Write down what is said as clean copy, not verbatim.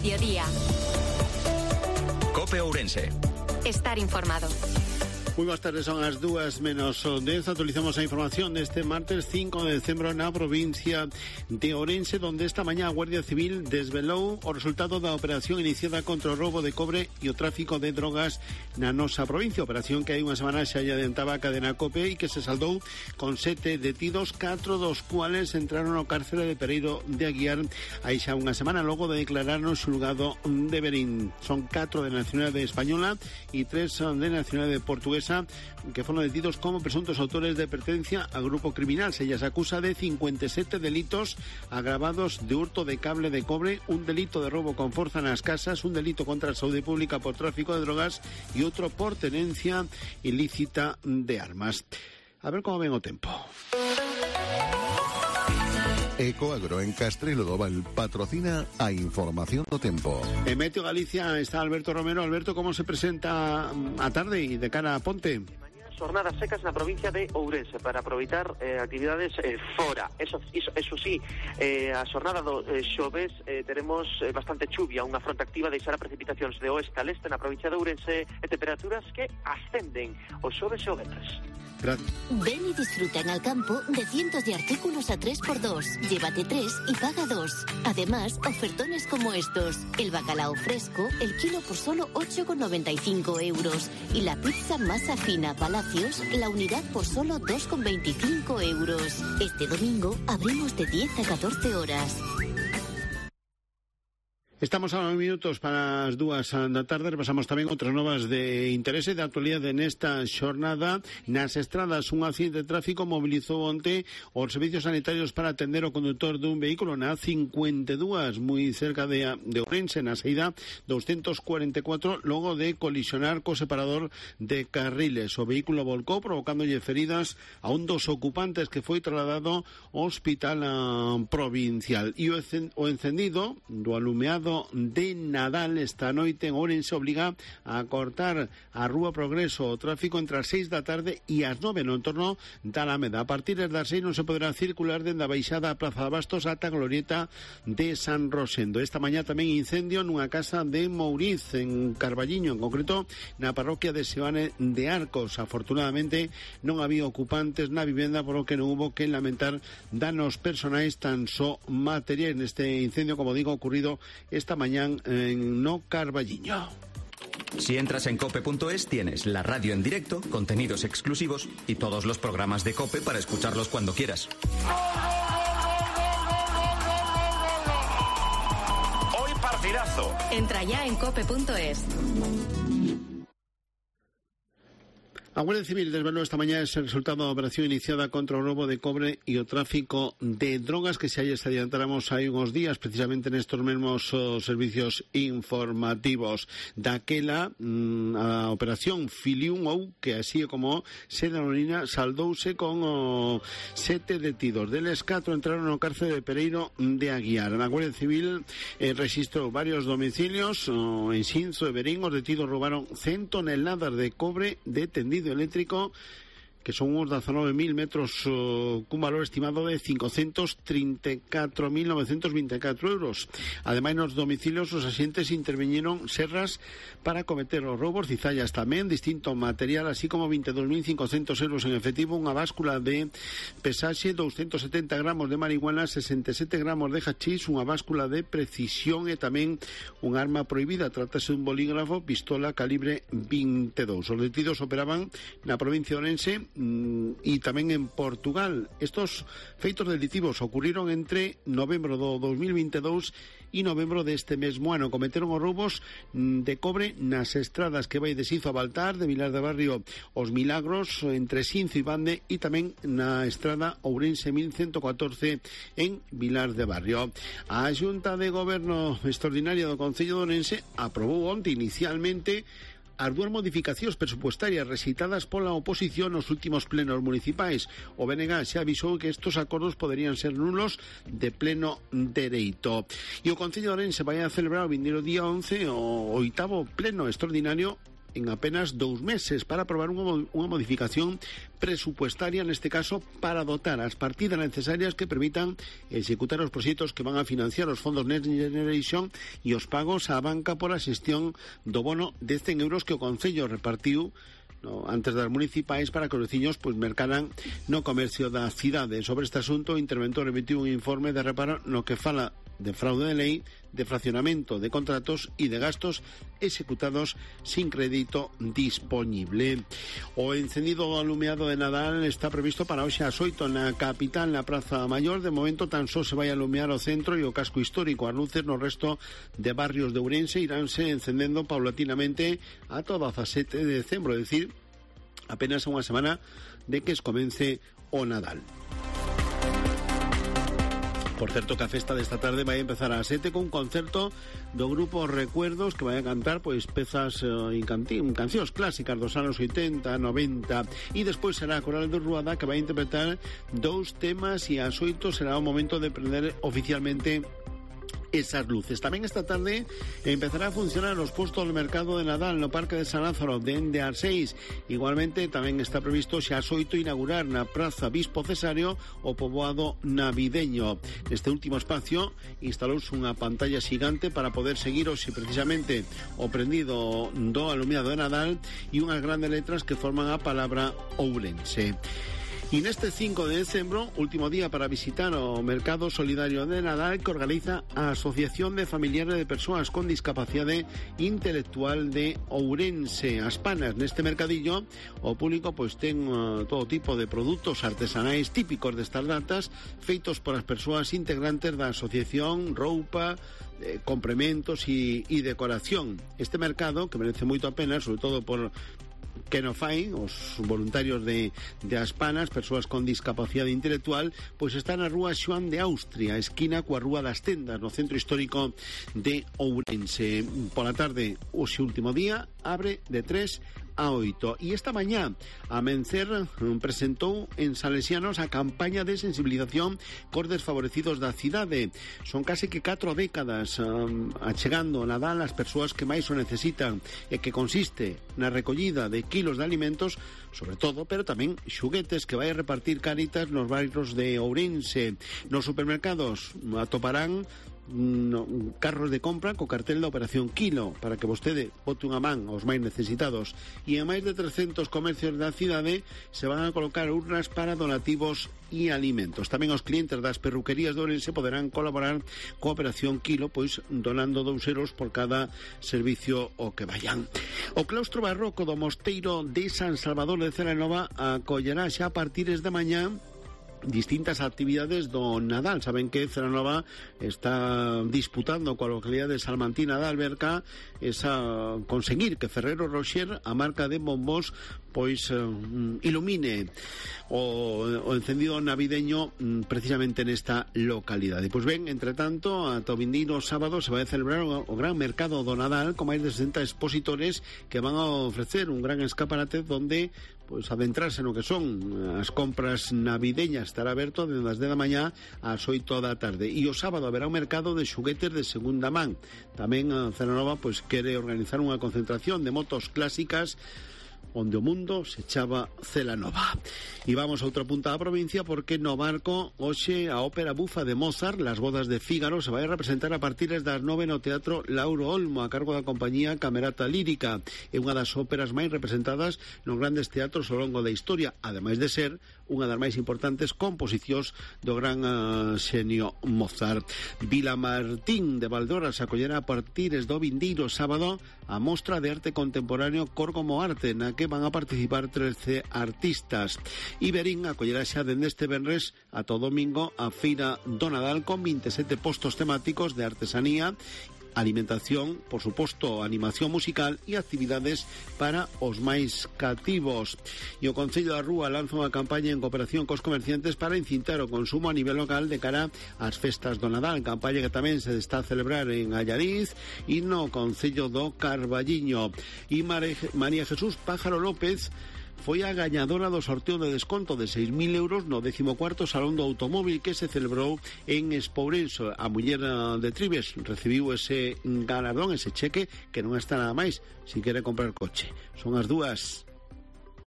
mediodía. COPE Ourense. Estar informado. Muy buenas tardes, son las 2:10. Actualizamos la información de este martes 5 de decembro na provincia de Ourense, donde esta mañá a Guardia Civil desvelou o resultado da operación iniciada contra o roubo de cobre e o tráfico de drogas na nosa provincia. Operación que hai unha semana xa adiantaba a cadena COPE e que se saldou con 7 detidos, 4 dos cuales entraron ao cárcere de Pereiro de Aguiar hai xa unha semana, logo de declarar no xulgado de Berín. Son 4 de nacionalidade española e 3 son de nacionalidade portuguesa, que fueron detidos como presuntos autores de pertenencia a grupo criminal. Se les acusa de 57 delitos agravados de hurto de cable de cobre, un delito de robo con fuerza en las casas, un delito contra la salud pública por tráfico de drogas y otro por tenencia ilícita de armas. A ver cómo ven o tempo. Ecoagro en Castrelo do Val patrocina a información do tempo. En Meteo Galicia está Alberto Romero. Alberto, ¿cómo se presenta a tarde y de cara a Ponte? Jornadas secas na provincia de Ourense para aproveitar actividades fora. Eso sí, a xornada do xoves teremos bastante chuvia, unha fronte activa deixará precipitacións de oeste a leste na provincia de Ourense e temperaturas que ascenden o xoves e o venres. Ven y disfruta en Alcampo de cientos de artículos a 3x2. Llévate 3 y paga 2. Además, ofertones como estos. El bacalao fresco, el kilo por solo 8,95 euros. Y la pizza masa fina Palacios, la unidad por solo 2,25 euros. Este domingo abrimos de 10 a 14 horas. Estamos a 9 minutos para as 2 da tarde. Repasamos tamén outras novas de interese de actualidade nesta xornada. Nas estradas, un accidente de tráfico mobilizou onte os servicios sanitarios para atender o condutor dun vehículo na A52, moi cerca de Ourense, na saída 244, logo de colisionar co separador de carriles. O vehículo volcou, provocándolle feridas a un dos ocupantes, que foi trasladado ao hospital provincial. E o encendido do alumeado de Nadal esta noite en Ourense obliga a cortar a Rúa Progreso o tráfico entre as 6 da tarde e as 9 no entorno da Alameda. A partir das 6 non se poderá circular dende a baixada a Praza de Bastos ata a glorieta de San Rosendo. Esta mañá tamén incendio nunha casa de Mouriz, en Carballiño, en concreto na parroquia de Seoane de Arcos. Afortunadamente non había ocupantes na vivenda, por lo que non hubo que lamentar danos personais, tan só materiais, neste incendio, como digo, ocurrido esta mañana en No Carballiño. Si entras en cope.es tienes la radio en directo, contenidos exclusivos y todos los programas de COPE para escucharlos cuando quieras. Hoy partidazo. Entra ya en cope.es. A Guardia Civil desvelou esta mañá ese resultado da operación iniciada contra o roubo de cobre e o tráfico de drogas, que se adiantáramos hai uns días, precisamente nestos mesmos servicios informativos. Daquela, a operación Filium, ou que así como se denomina, saldouse con 7 detidos. Deles 4 entraron no cárcere de Pereiro de Aguiar. A Guardia Civil registrou varios domicilios en Xinzo e Berín. Os detidos roubaron 100 toneladas de cobre de tendido eléctrico, que son uns 19.000 metros cun valor estimado de 534.924 euros. Ademais, nos domicilios os axentes interviñeron serras para cometer os roubos, cizallas tamén, distinto material, así como 22.500 euros en efectivo, unha báscula de pesaxe, 270 gramos de marihuana, 67 gramos de hachís, unha báscula de precisión e tamén un arma prohibida. Trátase dun bolígrafo, pistola calibre 22. Os detidos operaban na provincia de Ourense e tamén en Portugal. Estos feitos delictivos ocurriron entre novembro do 2022 e novembro deste mesmo ano. Cometeron os roubos de cobre nas estradas que vai de Xinzo a Baltar, de Vilar de Barrio os Milagros, entre Xinzo e Bande, e tamén na estrada Ourense 1114 en Vilar de Barrio. A Xunta de Goberno Extraordinaria do Concello de Ourense aprobou onte inicialmente as 2 modificacións presupuestarias rexeitadas pola oposición nos últimos plenos municipais. O BNG xa avisou que estos acordos poderían ser nulos de pleno dereito. E o Concello de Ourense vai a celebrar o vindeiro día 11 o 8º pleno extraordinario en apenas 2 meses para aprobar unha modificación presupuestaria, neste caso para dotar as partidas necesarias que permitan executar os proxectos que van a financiar os fondos Next Generation e os pagos á banca por a xestión do bono de 100 euros que o Concello repartiu antes das municipais para que os veciños mercaran no comercio da cidade. Sobre este asunto, o interventor emitiu un informe de reparo no que fala de fraude de lei, de fraccionamento de contratos e de gastos executados sin crédito disponible. O encendido do alumeado de Nadal está previsto para hoxe ás 8 na capital, na Praza Maior. De momento tan só se vai alumear o centro e o casco histórico. As luces no resto de barrios de Ourense iránse encendendo paulatinamente a todo a 7 de decembro, é dicir, apenas unha semana de que comence o Nadal. Por certo, que a festa desta tarde vai empezar ás 7 con un concerto do grupo Recuerdos que vai a cantar pezas cancións clásicas dos anos 80, 90 e despois será a Coral de Ruada que vai a interpretar 2 temas e ás 8 será o momento de prender oficialmente esas luces. Tamén esta tarde empezará a funcionar os postos do mercado de Nadal no Parque de San Lázaro dende ás 6. Igualmente tamén está previsto xa ás 8 inaugurar na Praza Bispo Cesario o poboado navideño. Neste último espacio instalouse unha pantalla xigante para poder seguir hoxe precisamente o prendido do alumiado de Nadal e unhas grandes letras que forman a palabra Ourense. E neste 5 de decembro, último día para visitar o Mercado Solidario de Nadal que organiza a Asociación de Familiares de Persoas con Discapacidade Intelectual de Ourense. As panas neste mercadillo, o público ten todo tipo de produtos artesanais típicos destas datas, feitos por as persoas integrantes da asociación, roupa, complementos e decoración. Este mercado, que merece moito a pena, sobre todo por que no fai, os voluntarios de Aspanas, persoas con discapacidade intelectual, está na rúa Xoán de Austria, esquina coa Rúa das Tendas, no centro histórico de Ourense. Pola tarde, hoxe último día, abre de 3 a 8. E esta mañá a Mencer presentou en Salesianos a campaña de sensibilización cos desfavorecidos da cidade. Son case que 4 décadas achegando Nadal ás persoas que máis o necesitan e que consiste na recollida de kilos de alimentos, sobre todo, pero tamén xuguetes que vai a repartir Cáritas nos bairros de Ourense. Nos supermercados atoparán carros de compra co cartel da Operación Kilo para que vostede bote unha man aos máis necesitados, e en máis de 300 comercios da cidade se van a colocar urnas para donativos e alimentos. Tamén os clientes das perruquerías de Ourense poderán colaborar coa Operación Kilo, donando 2 euros por cada servicio o que vayan. O claustro barroco do Mosteiro de San Salvador de Celanova acollerá xa a partires de mañá distintas actividades do Nadal. Saben que Celanova está disputando coa localidade de Salmantina da Alberca conseguir que Ferrero Rocher, a marca de bombos, ilumine o encendido navideño precisamente nesta localidade. Entre tanto, ata o vindeiro sábado se vai a celebrar o gran mercado do Nadal con máis de 60 expositores que van a ofrecer un gran escaparate donde adentrarse no que son as compras navideñas. Estará aberto desde as 10 da mañá ás 8 da tarde, e o sábado haberá un mercado de xuguetes de segunda man. Tamén Celanova quere organizar unha concentración de motos clásicas onde o mundo se chama Celanova. E vamos a outra punta da provincia, porque no Barco hoxe a ópera bufa de Mozart, Las bodas de Fígaro, se vai a representar a partir das 9 no Teatro Lauro Olmo, a cargo da compañía Camerata Lírica. É unha das óperas máis representadas nos grandes teatros ao longo da historia, ademais de ser unha das máis importantes composicións do gran xenio Mozart. Vilamartín de Valdeorras acollerá a partir do vindeiro sábado a mostra de arte contemporáneo Cor como Arte, na que van a participar 13 artistas. Iberín acollerá xa dende este venres ata o domingo a Feira do Nadal con 27 postos temáticos de artesanía, alimentación, por suposto, animación musical e actividades para os máis cativos. E o Concello da Rúa lanza unha campaña en cooperación cos comerciantes para incintar o consumo a nivel local de cara ás festas do Nadal, campaña que tamén se está a celebrar en Allariz e no Concello do Carballiño. E María Jesús Pájaro López foi a gañadora do sorteo de desconto de 6.000 euros no 14º Salón do Automóvil que se celebrou en Espourense. A muller de Trives recibiu ese galardón, ese cheque, que non está nada máis si quere comprar coche. Son as 2:00.